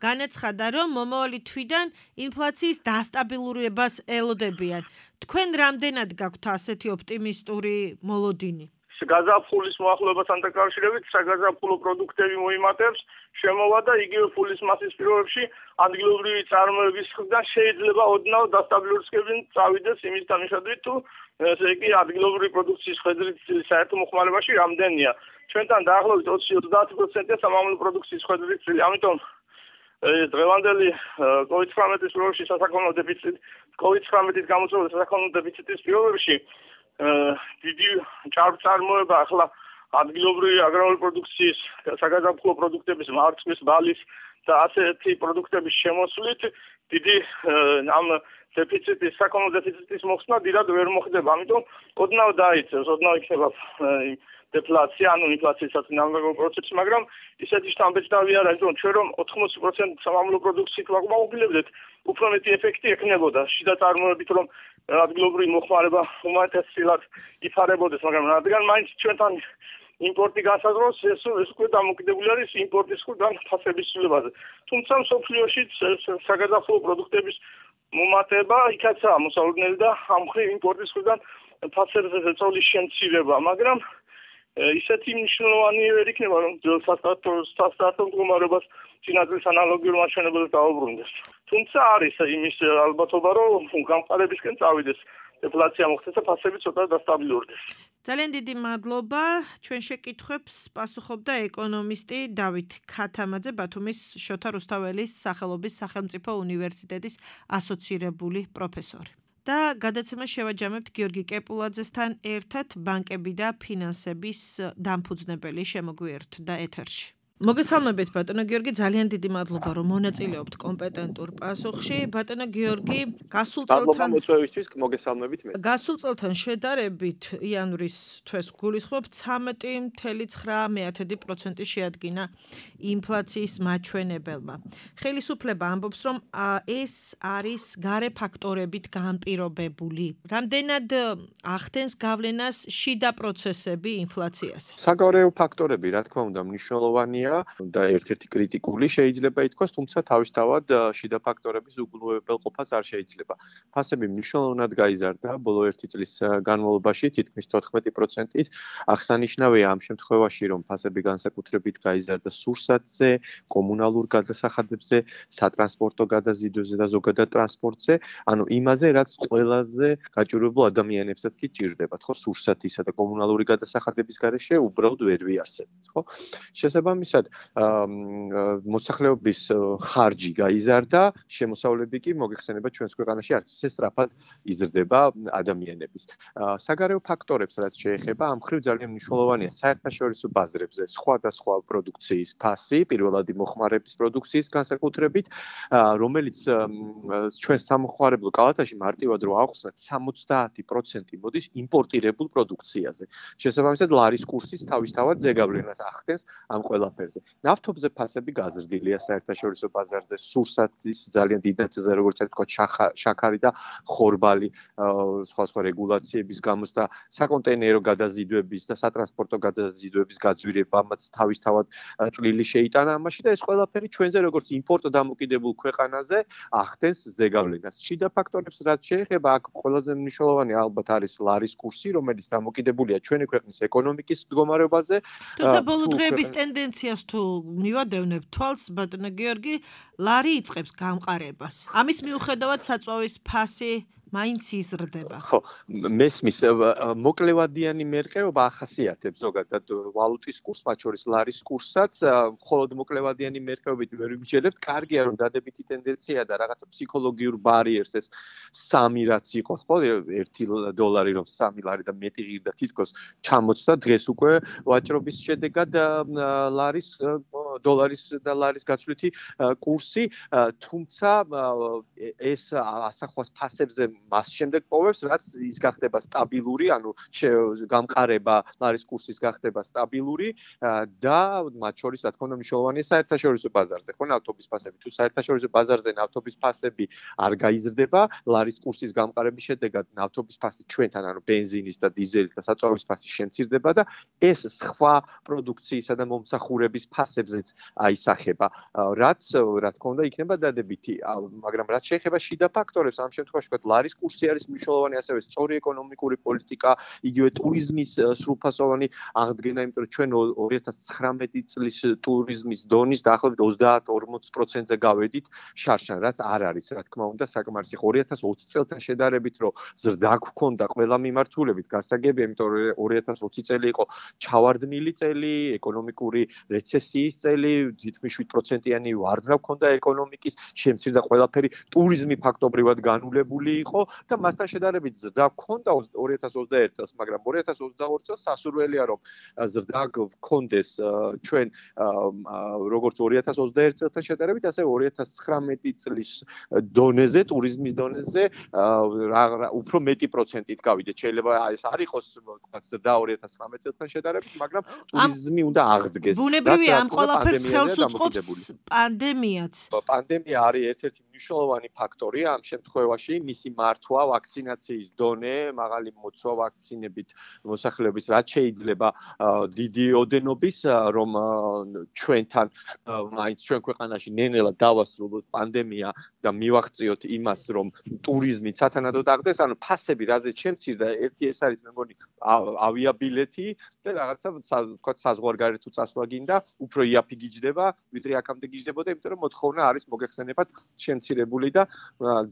განაცხადა, რომ მომავალი თვიდან ინფლაციის დასტაბილურებას ელოდებიან. თქვენ რამდენად გაქვთ ასეთი ოპტიმისტური მოლოდინი? გაზაფხულის მოახლოებასთან დაკავშირებით საგაზაფხულო პროდუქტები მოიმატებს, შემოვა და იგივე ფულის მასის პირობებში ადგილობრივი წარმოების მხრიდან შეიძლება ოდნავ დასტაბილურებისკენ წავიდეს იმის თანახმად, თუ ესე იგი ადგილობრივი პროდუქციის ხედვით საერთო მოხმარებაში რამდენია. ჩვენთან დაახლოებით ოცი ოცდაათი პროცენტია სამამულო პროდუქციის ხედვით, ამიტომ დღევანდელი კოვიდ ცხრამეტის პირობებში სასაქონლო დეფიციტი, კოვიდ ცხრამეტის გამოწვეული სასაქონლო დეფიციტის პირობებში დიდი ჭარბწარმოება ახლა ადგილობრივი აგრარული პროდუქციის, საგაზაფხულო პროდუქტების, მარცვლის, ბალის და ასეთი პროდუქტების შემოსვლით დიდი ამ დეფიციტის, საქონლო დეფიციტის მოხსნა დიდად ვერ მოხდება. ამიტომ ოდნავ დაიწევს, ოდნავ იქნება დეფლაცია, ანუ ინფლაციასაც ნამდვილ პროცესს, მაგრამ ისეთი შთამბეჭდავი არ არის, რომ ჩვენ რომ ოთხმოცი პროცენტი სამამულო პროდუქციით ვაკმაყოფილებდეთ, უფრო მეტი ეფექტი ექნებოდა. შიდა წარმოებით რომ ადგილობრივი მოხმარება უმეტესად იფარებოდეს, მაგრამ რადგან მაინც ჩვენთან იმპორტი განსაზღვრავს, ეს ეს უკვე დამოკიდებული არის იმპორტის ხუდან ფასების ცვლილებაზე. თუმცა მსოფლიოში საგაზაფხულო პროდუქტების მომატება იქაცაა მოსალოდნელი და ამ მხრივ იმპორტის ხუდან ფასებზე ზეწოლის შემცირება, მაგრამ ისეთი მნიშვნელოვანი ვერ იქნება, რომ სასტარტო მდგომარეობას წინადლის ანალოგიურ მაჩვენებელს დაუბრუნდეს. თუმცა არის იმის ალბათობა, რომ გამყარებისკენ წავიდეს, დეფლაცია მოხდეს და ფასები ცოტა დასტაბილურდეს. ძალიან დიდი მადლობა. ჩვენ შეკითხვებს პასუხობდა ეკონომისტი დავით ქათამაძე, ბათუმის შოთა რუსთაველის სახელობის სახელმწიფო უნივერსიტეტის ასოცირებული პროფესორი. და გადაცემას შევაჯამებთ გიორგი კეპულაძესთან ერთად, ბანკები და ფინანსების დამფუძნებელი შემოგვიერთდა ეთერში. მოგესალმებით ბატონო გიორგი, ძალიან დიდი მადლობა რომ მონაწილეობთ კომპეტენტურ პასუხში. ბატონო გიორგი, გასულ წელთან მოწვევისთვის მოგესალმებით მე. გასულ წელთან შედარებით იანვრის თვეს გულისხმობ ცამეტი წუთი ცხრა პროცენტი შეადგინა ინფლაციის მაჩვენებელმა. ხელისუფლება ამბობს, რომ ეს არის გარე ფაქტორებით განპირობებული. რამდენად ახდენს გავლენას შიდა პროცესები ინფლაციაზე? საგარეო ფაქტორები, რა თქმა უნდა, მნიშვნელოვანია და ერთ-ერთი კრიტიკული შეიძლება ითქვას, თუმცა თავისთავად შიდა ფაქტორების უგულებელყოფას არ შეიძლება. ფასები მნიშვნელოვნად გაიზარდა ბოლო ერთი წლის განმავლობაში, თითქმის თოთხმეტი პროცენტით. აღსანიშნავია ამ შემთხვევაში, რომ ფასები განსაკუთრებით გაიზარდა სურსათზე, კომუნალურ გადასახადებზე, სატრანსპორტო გადაზიდვებზე და ზოგადად ტრანსპორტზე, ანუ იმაზე, რაც ყველაზე გაჭირვებულ ადამიანებსაც კი ჭირდებათ, ხო, სურსათისა და კომუნალური გადასახადების გარეშე უბრალოდ ვერ ვიარსებთ, ხო? შესაბამისად მოსახლეობის ხარჯი გაიზარდა, შემოსავლები კი მოგეხსენება ჩვენს ქვეყანაში არც ისე სწრაფად იზრდება ადამიანების. საგარეო ფაქტორებს რაც შეეხება, ამ მხრივ ძალიან მნიშვნელოვანია საერთაშორისო ბაზრებზე სხვადასხვა პროდუქციის ფასი, პირველად მოხმარების პროდუქციის განსაკუთრებით, რომელიც ჩვენ სამოხმარებლო კალათაში მარტივად რო ავხსნათ, სამოცდაათი პროცენტი მოდის იმპორტირებულ პროდუქციაზე. შესაბამისად, ლარის კურსის თავისთავად ზეგავლენას ახდენს ამ ყველაფერზე. ნავთობზე ფასები გაზრდილია საერთაშორისო ბაზარზე, სურსათის ძალიან დიდ ნაწილზე, როგორც თქვა, შაქარი და ხორბალი, სხვა სხვა რეგულაციების გამოს და საკონტეინერო გადაზიდვების და სატრანსპორტო გადაზიდვების გაძვირებამაც თავისთავად წვლილი შეიტანა ამაში და ეს ყველაფერი ჩვენზე როგორც იმპორტ დამოკიდებულ ქვეყანაზე ახდენს ზეგავლენას. შიდა ფაქტორებს რაც შეეხება, აქ ყველაზე მნიშვნელოვანი ალბათ არის ლარის კურსი, რომელიც დამოკიდებულია ჩვენი ქვეყნის ეკონომიკის მდგომარეობაზე. თუმცა ბოლო დღეების ტენდენციას თუ მივადევნებ თვალს, ბატონო გიორგი, ლარი იწყებს გამყარებას. ამის მიუხედავად საწვავის ფასი მაინც იზრდება. ხო, მესმის მოკლევადიანი მერყეობა ახასიათებს ზოგადად ვალუტის კურსს, მათ შორის ლარის კურსსაც, მხოლოდ მოკლევადიანი მერყეობით ვერ ვიმსჯელებთ. კარგია რომ დადებითი ტენდენცია და რაღაცა ფსიქოლოგიურ ბარიერს ეს სამი რაც იყოს, ხო, ერთი დოლარი რომ სამი ლარი და მეტი ღირდა თითქოს ჩამოწდა დღეს უკვე ვაჭრობის შედეგად ლარის დოლარის და ლარის გაცვლითი კურსი, თუმცა ეს ასახვას ფასებზე მას შემდეგ პოვებს, რაც ის გახდება სტაბილური, ანუ გამყარება ლარის კურსის გახდება სტაბილური და მათ შორის რა თქმა უნდა მნიშვნელოვანია საერთაშორისო ბაზარზე, ხო, ნავთობის ფასები. თუ საერთაშორისო ბაზარზე ნავთობის ფასები არ გაიზრდება, ლარის კურსის გამყარების შედეგად ნავთობის ფასი ჩვენთან, ანუ ბენზინის და დიზელის და საწვავის ფასი შემცირდება და ეს სხვა პროდუქციისა და მომსახურების ფასებზეც აისახება, რაც რა თქმა უნდა იქნება დადებითი, მაგრამ რაც შეეხება შიდა ფაქტორებს, ამ შემთხვევაში ვთქვათ, ლარის კურსი არის მნიშვნელოვანი, ასევე სწორი ეკონომიკური პოლიტიკა, იგივე ტურიზმის სრულფასოვანი აღდგენა, იმიტომ რომ ჩვენ ორი ათას ცხრამეტი წლის ტურიზმის დონის დაახლოებით ოცდაათ ორმოც პროცენტზე გავედით შარშან, რაც არ არის, რა თქმა უნდა, საკმარისი. ორი ათას ოცი წელთან შედარებით, რომ ზრდა გვქონდა ყველა მიმართულებით, გასაგებია, იმიტომ რომ ორი ათას ოცი წელი იყო ჩავარდნილი წელი, ეკონომიკური რეცესიის წელი წელი თითქმის შვიდ პროცენტიანი ვარდნა ჰქონდა ეკონომიკის, შემცირდა ყველაფერი, ტურიზმი ფაქტობრივად განულებული იყო და მასთან შედარებით ზრდა ჰქონდა ორი ათას ოცდაერთ წელს, მაგრამ ორი ათას ოცდაორი წელს სასურველია რომ ზრდა გქონდეს ჩვენ როგორც ორი ათას ოცდაერთ წელთან შედარებით, ასევე ორი ათას ცხრამეტი წლის დონეზე, ტურიზმის დონეზე უფრო მეტი პროცენტით გავიდეთ. შეიძლება ეს არ იყოს თქვა ზრდა ორი ათას ცხრამეტ წელთან შედარებით, მაგრამ ტურიზმი უნდა აღდგეს. ბუნებრივია ამ ყველაფერს ხელს უწყობს პანდემიაც. პანდემია არის ერთ-ერთი მნიშვნელოვანი ფაქტორი ამ შემთხვევაში, მისი მართვა, ვაქცინაციის დონე, მაღალი მოცვა ვაქცინებით მოსახლეობის, რაც შეიძლება დიდი ოდენობის, რომ ჩვენთან მაინც ჩვენ ქვეყანაში ნელ-ნელა დავასრულოთ პანდემია და მივაღწიოთ იმას, რომ ტურიზმი სათანადოდ აღდგეს, ანუ ფასები რაზეც შემცირდა, ერთი ეს არის მე მგონი ავიაბილეთი და რაღაცა თქვა საზღვარგარეთ თუ წასვლა გინდა, უფრო იაფი გიჯდება, ვიდრე აქამდე გიჯდებოდა, იმიტომ რომ მოთხოვნა არის მოგეხსენებათ შემცირებული და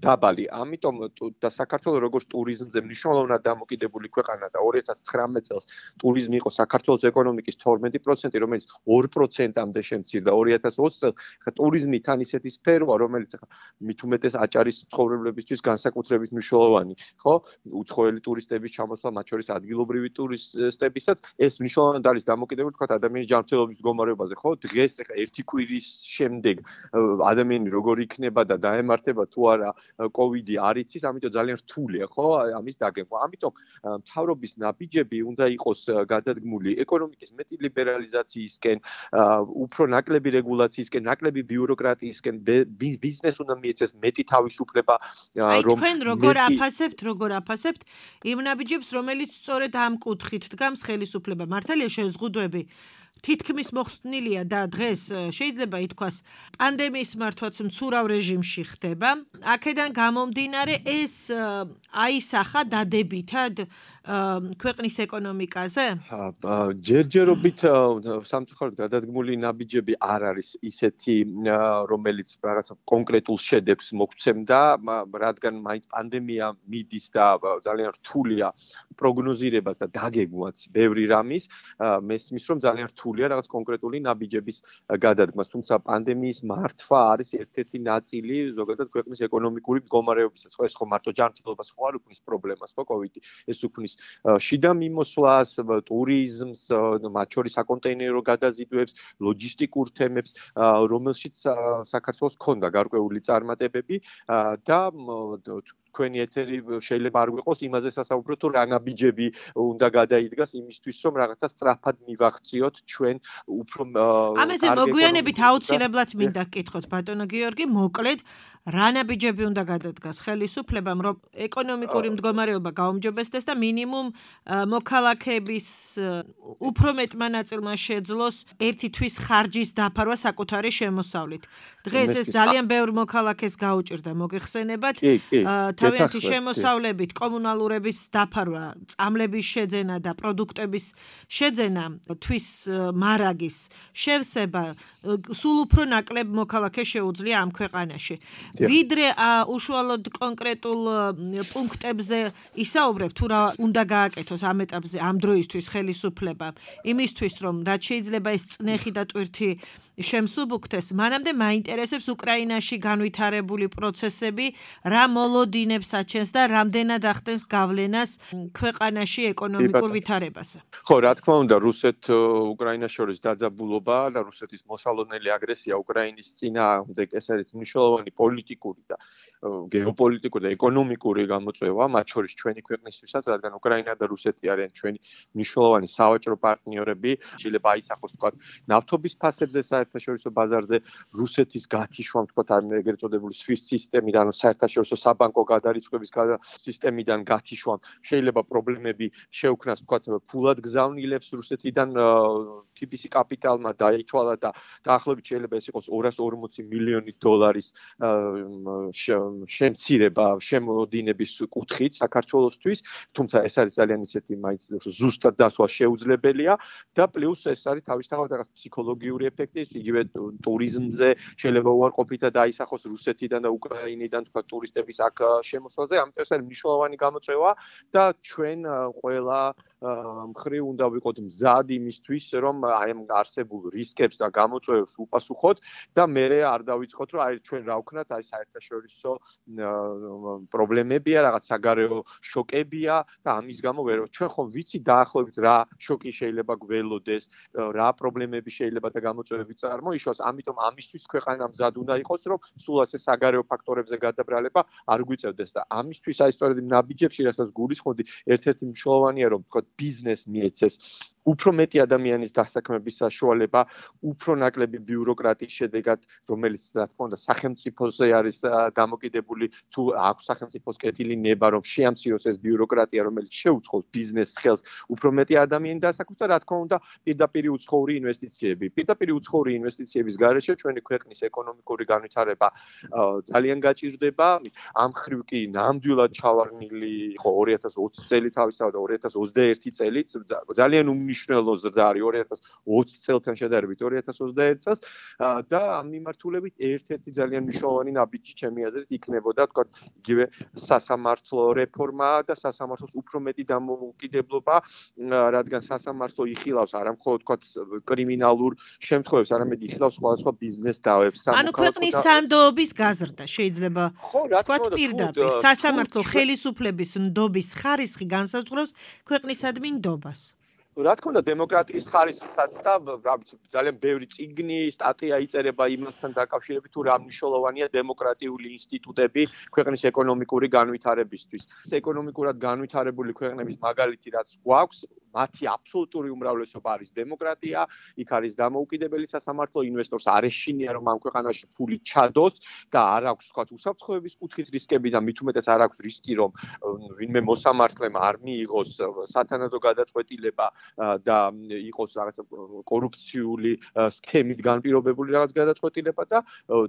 დაბალი. ამიტომ და საქართველოს როგორც ტურიზმზე მნიშვნელოვნად დამოკიდებული ქვეყანა და ორი ათას ცხრამეტ წელს ტურიზმი იყო საქართველოს ეკონომიკის თორმეტი პროცენტი, რომელიც ორი პროცენტამდე შემცირდა ორი ათას ოცი წელს. ხა ტურიზმი თან ისეთი სფეროა, რომელიც მით უმეტეს აჭარის მცხოვრებლებისთვის განსაკუთრებით მნიშვნელოვანი, ხო? უცხოელი ტურისტების ჩამოსვლა, მათ შორის ადგილობრივი ტურისტებისაც ეს მნიშვნელოვნად არის დამოკიდებული თქვა ადამიანის ჯანმრთელობის მდგომარეობაზე, ხო? დღეს ხა ერთი კვირის შემდეგ ადამიანი როგორ იქნება და დაემართება თუ არა კოვიდი არ იცის, ამიტომ ძალიან რთულია, ხო? ამის დაგეგმვა. ამიტომ მთავრობის ნაბიჯები უნდა იყოს გადადგმული ეკონომიკის მეტი ლიბერალიზაციისკენ, უფრო ნაკლები რეგულაციისკენ, ნაკლები ბიუროკრატიისკენ, ბიზნეს უნდა მიეცეს მეტი თავისუფლება, რომ თქვენ როგორ აფასებთ, როგორ აფასებთ იმ ნაბიჯებს, რომელიც სწორედ ამ კუთხით დგამს ხელისუფლება. მართალია შეზღუდვები თითქმის მოხსნილია და დღეს შეიძლება ითქვას პანდემიის მართვაც მცურავ რეჟიმში ხდება. აქედან გამომდინარე ეს აისახა დადებითად ქვეყნის ეკონომიკაზე? ჯერჯერობით სამწუხაროდ გადადგმული ნაბიჯები არ არის ისეთი, რომელიც რაღაცა კონკრეტულ შედეგს მოგცემდა, რადგან მაინც პანდემია მიდის და ძალიან რთულია პროგნოზირებას და დაგეგმვაც ბევრი რამის, მესმის რომ ძალიან რთულია რაღაც კონკრეტული ნაბიჯების გადადგმას, თუმცა პანდემიის მართვა არის ერთ-ერთი ნაწილი ზოგადად ქვეყნის ეკონომიკური მდგომარეობისა. ეს ხო მარტო ჯანმრთელობას ხო არ უქმნის პრობლემას, ხო კოვიდი, ეს უქმნის შიდა მიმოსვლას, ტურიზმს, მათ შორის საკონტეინერო გადაზიდვებს, ლოჯისტიკურ თემებს, რომელშიც საქართველოს ჰქონდა გარკვეული წარმატებები და თქვენი ეთერი შეიძლება არ გვიყოს იმაზე სასაუბრო თუ რა ნაბიჯები უნდა გადაიდგას იმისთვის რომ რაღაცა სწრაფად მივაღწიოთ ჩვენ უფრო ამაზე მოგვიანებით აუცილებლად მინდა გკითხოთ ბატონო გიორგი, მოკლედ რა ნაბიჯები უნდა გადადგას ხელისუფლებამ, რომ ეკონომიკური მდგომარეობა გაუმჯობესდეს და მინიმუმ მოქალაქეების უფრო მეტმა ნაწილმა შეძლოს ერთი თვის ხარჯის დაფარვა საკუთარი შემოსავლით. დღეს ეს ძალიან ბევრ მოქალაქეს გაუჭირდა, მოგეხსენებათ, თავიანთი შემოსავლებით კომუნალურების დაფარვა, წამლების შეძენა და პროდუქტების შეძენა, თვის მარაგის შევსება, სულ უფრო ნაკლებ მოქალაქეს შეუძლია ამ ქვეყანაში. ვიდრე უშუალოდ კონკრეტულ პუნქტებზე ისაუბრებ, თუ რა უნდა გააკეთოს ამ ეტაპზე ამ დროისთვის ხელისუფლებამ, იმისთვის რომ რაც შეიძლება ეს წნეხი და ტვირთი შემსუბუქდეს, მანამდე მაინტერესებს უკრაინაში განვითარებული პროცესები, რა მოლოდინებს აჩენს და რამდენად ახდენს გავლენას ქვეყანაში ეკონომიკურ ვითარებაზე. ხო, რა თქმა უნდა, რუსეთ-უკრაინას შორის დაძაბულობა და რუსეთის მოსალოდნელი აგრესია უკრაინის წინააღმდეგ ეს არის მნიშვნელოვანი პოლიტიკური და გეოპოლიტიკური და ეკონომიკური გამოწვევა, მათ შორის ჩვენი ქვეყნისთვისაც, რადგან უკრაინა და რუსეთი არიან ჩვენი მნიშვნელოვანი სავაჭრო პარტნიორები, შეიძლება აისახოს თქვა ნავთობის ფასებზე საერთაშორისო ბაზარზე, რუსეთის გათიშვა, თქვა ეგრეთ წოდებული SWIFT სისტემიდან, საერთაშორისო საბანკო გადარიცხვების სისტემიდან გათიშვამ შეიძლება პრობლემები შეუქმნას, თქვა ფულად გზავნილებს რუსეთიდან T B C კაპიტალმა დაითვალა და დაახლოებით შეიძლება ეს იყოს ორას ორმოცი მილიონი დოლარის შემცირება შემოდინების კუთხით საქართველოსთვის, თუმცა ეს არის ძალიან ისეთი მაინც ზუსტად დასვა შეუძლებელია და პლუს ეს არის თავისთავად რაღაც ფსიქოლოგიური ეფექტი, იგივე ტურიზმზე შეიძლება უარყოფითად დაისახოს რუსეთიდან და უკრაინიდან თქვა ტურისტების აქ შემოსვლაზე, ამიტომ ეს არის მნიშვნელოვანი გამოწვევა და ჩვენ ყველა მხრივ უნდა ვიყოთ მზად იმისთვის, რომ აი ამ არსებულ რისკებს და გამოწვევებს უპასუხოთ და მერე არ დავიწყოთ, რომ აი ჩვენ რა ვქნათ, აი საერთაშორისო პრობლემებია, რაღაც საგარეო შოკებია და ამის გამო ვერ ჩვენ ხომ ვიცი დაახლოებით რა შოკი შეიძლება გველოდეს, რა პრობლემები შეიძლება და გამოწვევები წარმოიშვას, ამიტომ ამისთვის ქვეყანა მზად უნდა იყოს, რომ სულ ასე საგარეო ფაქტორებზე გადაბრალება არ გვიწევდეს და ამისთვის აი სწორედ იმ ნაბიჯებში, რასაც გულისხმობდი, ერთ-ერთი მნიშვნელოვანია, რომ ვთქვათ, ბიზნეს მიეცეს უფრო მეტი ადამიანის დასაქმების საშუალება, უფრო ნაკლები ბიუროკრატიის შედეგად, რომელიც რა თქმა უნდა სახელმწიფოზე არის დამოკიდებული, თუ აქვს სახელმწიფოს კეთილი ნება, რომ შეამციროს ეს ბიუროკრატია, რომელიც შეუწყობს ბიზნეს ხელს უფრო მეტი ადამიანი დასაქმებს და რა თქმა უნდა პირდაპირ უცხოური ინვესტიციები. პირდაპირ უცხოური ინვესტიციების გარეშე ჩვენი ქვეყნის ეკონომიკური განვითარება ძალიან გაჭირდება. ამ მხრივ კი ნამდვილად ჩავარნილი იყო ორი ათას ოცი წელი თავისთავად და ორი ათას ოცდაერთი წელი ძალიან უმნიშვნელო ზრდა არის ორი ათას ოცი წელთან შედარებით ორი ათას ოცდაერთი წელს და ამ მიმართულებით ერთ-ერთი ძალიან მნიშვნელოვანი ნაბიჯი ჩემი აზრით იქნებოდა თქვა იგივე სასამართლო რეფორმა და სასამართლოს უფრო მეტი დამოუკიდებლობა, რადგან სასამართლო იხილავს არა მხოლოდ თქვა კრიმინალურ შემთხვევებს, არამედ იხილავს სხვადასხვა ბიზნეს დავებს. ანუ ქვეყნის სანდოობის გაზრდა შეიძლება თქვა პირდაპირ სასამართლო ხელისუფლების ნდობის ხარისხი განსაზღვრავს ქვეყნისადმი ნდობას. რა თქმა უნდა დემოკრატიის ხარისხსაც და რა ვიცი ძალიან ბევრი წიგნი, სტატია იწერება იმასთან დაკავშირებით თუ რა მნიშვნელოვანია დემოკრატიული ინსტიტუტები ქვეყნის ეკონომიკური განვითარებისთვის. ეკონომიკურად განვითარებული ქვეყნების მაგალითი რაც გვაქვს, მათი აბსოლუტური უმრავლესობა არის დემოკრატია, იქ არის დამოუკიდებელი სასამართლო, ინვესტორს არ ეშინია რომ ამ ქვეყანაში ფული ჩადოს და არ აქვს თქვა უსაფრთხოების კუთხით რისკები და მით უმეტეს არ აქვს რისკი რომ ვინმე მოსამართლემ არ მიიღოს სათანადო გადაწყვეტილება და იყოს რაღაც კორუფციული სქემით განპირობებული რაღაც გადაწყვეტილება და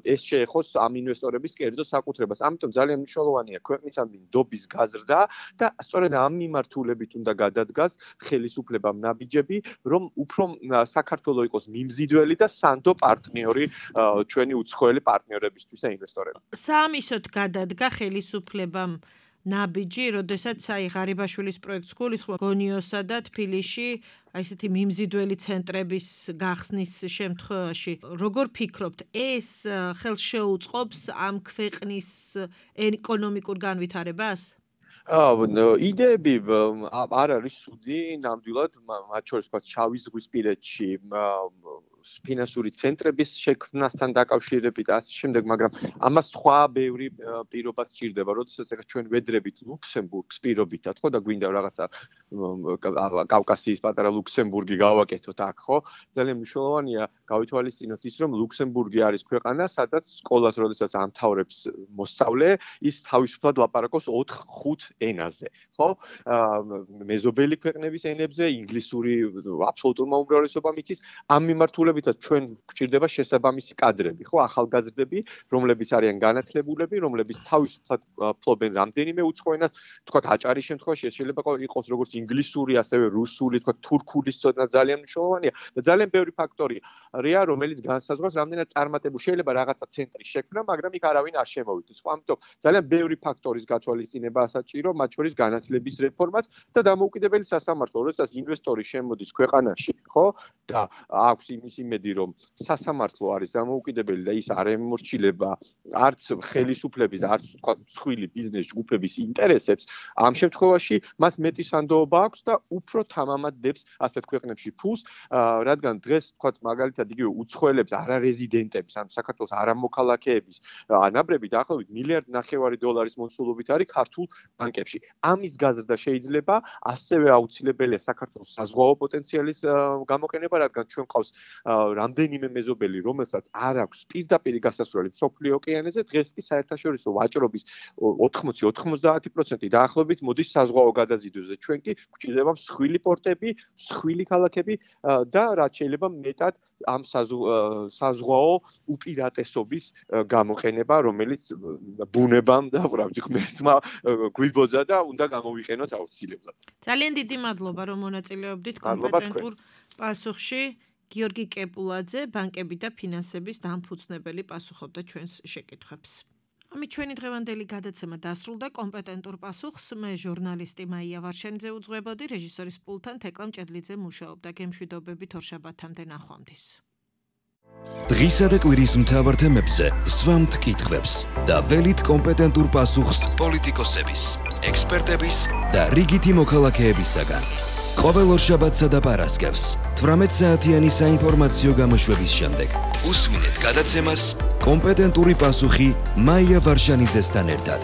ეს შეეხოს ამ ინვესტორების კერძო საკუთრებას. ამიტომ ძალიან მნიშვნელოვანია ქვეყნისადმი ნდობის გაზრდა და სწორედ ამ მიმართულებით უნდა გადადგას ხელისუფლებამ ნაბიჯები, რომ უფრო საქართველოს იყოს მიმზიდველი და სანდო პარტნიორი ჩვენი უცხოელი პარტნიორებისთვის და ინვესტორებისთვის. საამისოდ გადადგა ხელისუფლებამ ნაბიჯი, როდესაც აი ღარიბაშვილის პროექტს გულისხმობ გონიოსა და თბილისში აი ესეთი მიმზიდველი ცენტრების გახსნის შემთხვევაში, როგორ ფიქრობთ, ეს ხელს შეუწყობს ამ ქვეყნის ეკონომიკურ განვითარებას? იდეები არ არის ცუდი, ნამდვილად, მათ შორის თქვა შავი ზღვისპირეთში ფინანსური ცენტრების შექმნასთან დაკავშირებით და ასე შემდეგ, მაგრამ ამას სხვა ბევრი პირობა სჭირდება, როდესაც ეხლა ჩვენ ვედრებით ლუქსემბურგს პირობითად, ხო და გვინდა რაღაცა კავკასიის პატარა ლუქსემბურგი გავაკეთოთ აქ, ხო? ძალიან მნიშვნელოვანია გავითვალისწინოთ ის, რომ ლუქსემბურგი არის ქვეყანა, სადაც სკოლას როდესაც ამთავრებს მოსწავლე, ის თავისუფლად ლაპარაკობს ოთხ ხუთ ენაზე, ხო? მეზობელი ქვეყნების ენებზე, ინგლისური აბსოლუტურმა უმრავლესობამ იცის, ამ მიმართულებითაც ჩვენ გვჭირდება შესაბამისი კადრები, ხო, ახალგაზრდები, რომლებიც არიან განათლებულები, რომლებიც თავისუფლად ფლობენ რამდენიმე უცხო ენას, თქვათ აჭარის შემთხვევაში შეიძლება იყოს როგორც ინგლისური, ასევე რუსული, თქვათ თურქულის ცოდნა ძალიან მნიშვნელოვანია და ძალიან ბევრი ფაქტორია, რომელიც განსაზღვრავს რამდენად წარმატებული შეიძლება რაღაცა ცენტრი შექმნა, მაგრამ იქ არავინ არ შემოვიდეს, ხო, ამიტომ ძალიან ბევრი ფაქტორის გათვალისწინება საჭირო, მათ შორის განათლების რეფორმაც და დამოუკიდებელი სასამართლო, როდესაც ინვესტორი შემოდის ქვეყანაში, ხო, და აქვს იმის იმედი, რომ სასამართლო არის დამოუკიდებელი და ის არ ემორჩილება არც ხელისუფლების, არც თქვა მსხვილი ბიზნეს ჯგუფების ინტერესებს, ამ შემთხვევაში მას მეტი სანდოობა აქვს და უფრო თამამად დებს ასეთ ქვეყნებში ფულს, რადგან დღეს თქვა მაგალითად იგივე უცხოელებს, არარეზიდენტებს, ან საქართველოს არამოქალაქეების ანაბრები დაახლოებით მილიარდ ნახევარი დოლარის მოცულობით არის ქართულ ბანკებში. ამის გაზრდა შეიძლება ასევე აუცილებელია საქართველოს საზღვაო პოტენციალის გამოყენება, რადგან ჩვენ ყავს რამდენიმე მეზობელი, რომელსაც არ აქვს პირდაპირ გასასვლელი მსოფლიო ოკეანეზე, დღეს კი საერთაშორისო ვაჭრობის ოთხმოცი ოცდაათი პროცენტი დაახლოებით მოდის საზღვაო გადაზიდვებზე. ჩვენ კი გვჭირდება მსხვილი პორტები, მსხვილი ქალაქები და რაც შეიძლება მეტად ამ საზღვაო უპირატესობის გამოყენება, რომელიც ბუნებამ და უბრალოდ ღმერთმა გვიბოძა და უნდა გამოვიყენოთ აუცილებლად. ძალიან დიდი მადლობა, რომ მონაწილეობდით კომპეტენტურ პასუხში. გიორგი კეპულაძე, ბანკები და ფინანსების დამფუძნებელი, პასუხობდა ჩვენს შეკითხვებს. ამით ჩვენი დღევანდელი გადაცემა დასრულდა. კომპეტენტურ პასუხს მე ჟურნალისტი მაია ვარშანიძე უძღვებოდი, რეჟისორის პულტთან თეკლა მჭედლიძე მუშაობდა. გემშვიდობებით ორშაბათამდე ნახვამდის. დღისა და კვირის მთავარ თემებზე სვამთ კითხვებს და ველით კომპეტენტურ პასუხს პოლიტიკოსების, ექსპერტების და რიგითი მოქალაქეებისაგან. ყოველ ორშაბათსა და პარასკევს თვრამეტ საათიანი საინფორმაციო გამოშვების შემდეგ უსმინეთ გადაცემას კომპეტენტური პასუხი მაია ვარშანიძესთან ერთად.